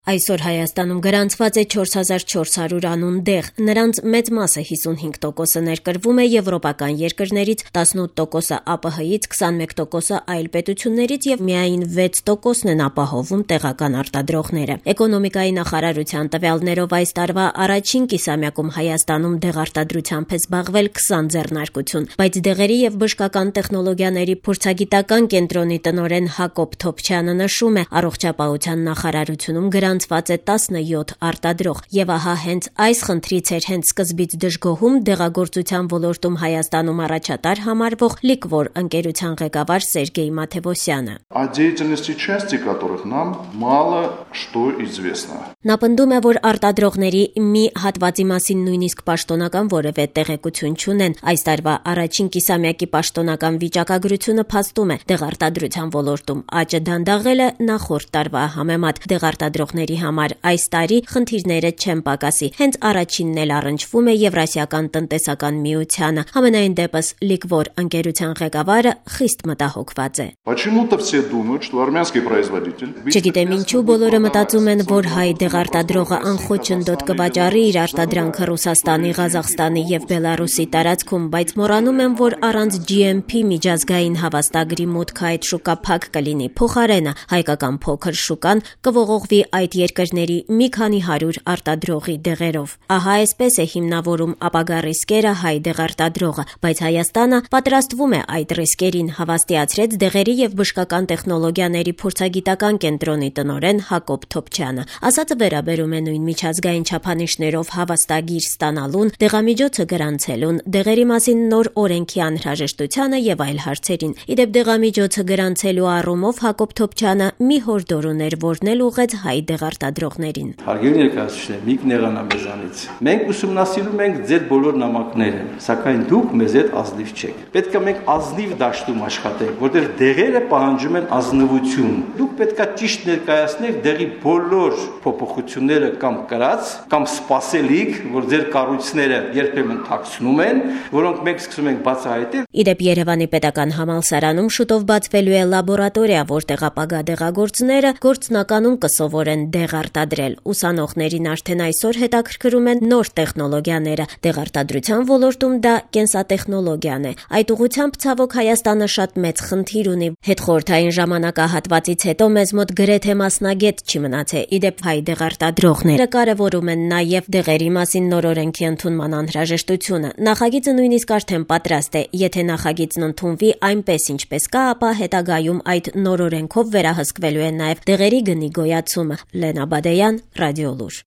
Այսօր Հայաստանում գրանցված է 4400 անուն դեղ, նրանց մեծ մասը 55%-ը ներկրվում է եվրոպական երկրներից, 18%-ը ԱՊՀ-ից, 21%-ը այլ պետություններից եւ միայն 6%-ն են ապահովում տեղական արտադրողները։ Էկոնոմիկայի նախարարության տվյալներով այս տարվա առաջին կիսամյակում Հայաստանում դեղարտադրությամբ է զբաղվել 20 ձեռնարկություն, բայց դեղերի եւ բժշկական տեխնոլոգիաների փորձագիտական կենտրոնի տնօրեն Հակոբ Թոփչյանը նշում է, առողջապահության նախարարությունում գրանցված է 17 արտադրող, եւ ահա հենց այս խնդրից էր հենց սկզբից դժգոհում դեղագործության ոլորտում Հայաստանում առաջատար համարվող Liqvor ընկերության ղեկավար Սերգեյ Մաթևոսյանը։ О деятельности части которых нам мало что известно. Նա պնդում է, որ արտադրողների մի հատվածի մասին նույնիսկ պաշտոնական որևէ տեղեկություն չունեն։ Այս տարվա առաջին կիսամյակի պաշտոնական վիճակագրությունը փաստում է, դեղարտադրության ոլորտում աճը դանդաղել է նախորդ տարվա համեմատ։ Դեղարտադրողների համար այս տարի խնդիրները չեն պակասի։ Հենց առաջինն էլ առնչվում է Եվրասիական տնտեսական միությանը։ Համենայն դեպս Liqvor ընկերության ղեկավարը խիստ մտահոգված է։ Почему-то все думают, что армянский производитель. Չգիտեմ ինչու բոլորը մտածում են, որ հայ դեղարտադրողը անխոչնդոտ կվաճառի իր արտադրանքը Ռուսաստանի, Ղազախստանի եւ Բելարուսի տարածքում, բայց մոռանում են, որ առանց GMP միջազգային հավաստագրի մուտքը այդ շուկա փակ կլինի։ Փոխարենը հայկական փոքր շուկան կողողվի այդ երկրների մի քանի 100 արտադրողի դեղերով։ Ահա այսպես է հիմնավորում ապագա ռիսկերը հայ դեղարտադրողը, բայց Հայաստանը պատրաստվում է այդ ռիսկերին, հավաստիացրեց դեղերի եւ բժշկական տեխնոլոգիաների փորձագիտական կենտրոնի տնօրեն Հակոբ Թոփչյանը։ Ասածը վերաբերում է նույն միջազգային չափանիշներով հավաստագիր ստանալուն, դեղամիջոցը գրանցելուն, դեղերի մասին նոր օրենքի անհրաժեշտությանը եւ այլ հարցերին։ Իդեպ դեղամիջոցը գրանցելու առումով Հակոբ Թոփչյանը մի հորդոր ուներ, որն էլ ուղեց հայ դեղարտադրողներին։ Հարգելի ներկայացուցիչներ, մի կներանա մեզանից։ Մենք ուսումնասիրում ենք ձեր բոլոր նամակները, սակայն դուք մեզ հետ ազնիվ չեք։ Պետք է մենք ազնիվ դաշտում աշխատենք, որտեղ դեղերը պահանջում են ազնվություն։ Դուք պետք է ճիշտ ներկայացնեք դեղի բոլոր փոփոխությունները կամ կրած, կամ սպասելիք, որ ձեր կառույցները երբեմն թաքցնում են, որոնք մենք սկսում ենք բացահայտել։ Իդեպ Երևանի պետական համալսարանում շուտով բացվելու է լաբորատորիա, որտեղ ապագա դեղագործները գործնականում կսովորեն դեղ արտադրել։ Ուսանողներին արդեն այսօր հետաքրքրում են նոր տեխնոլոգիաները։ Դեղարտադրության ոլորտում դա կենսատեխնոլոգիան է։ Այդ ուղղությամբ ցավոք Հայաստանը շատ մեծ խնդիր ունի։ Հետխորհրդային ժամանակահատվածից հետո մեզ մոտ գրեթե մասնագետ չի մնացել։ Իդեպ հայ դեղարտադրողները կարևորում են նաև դեղերի մասին նոր օրենքի ընդունման անհրաժեշտությունը։ Նախագիծը նույնիսկ արդեն պատրաստ է։ Եթե նախագիծն ընդունվի այնպես ինչպես կա, ապա հետագայում այդ նոր օրենքով վերահսկվելու է նաև դեղերի գնի գոյացումը։ Լենա Բադեյան, Ռադիոլուր։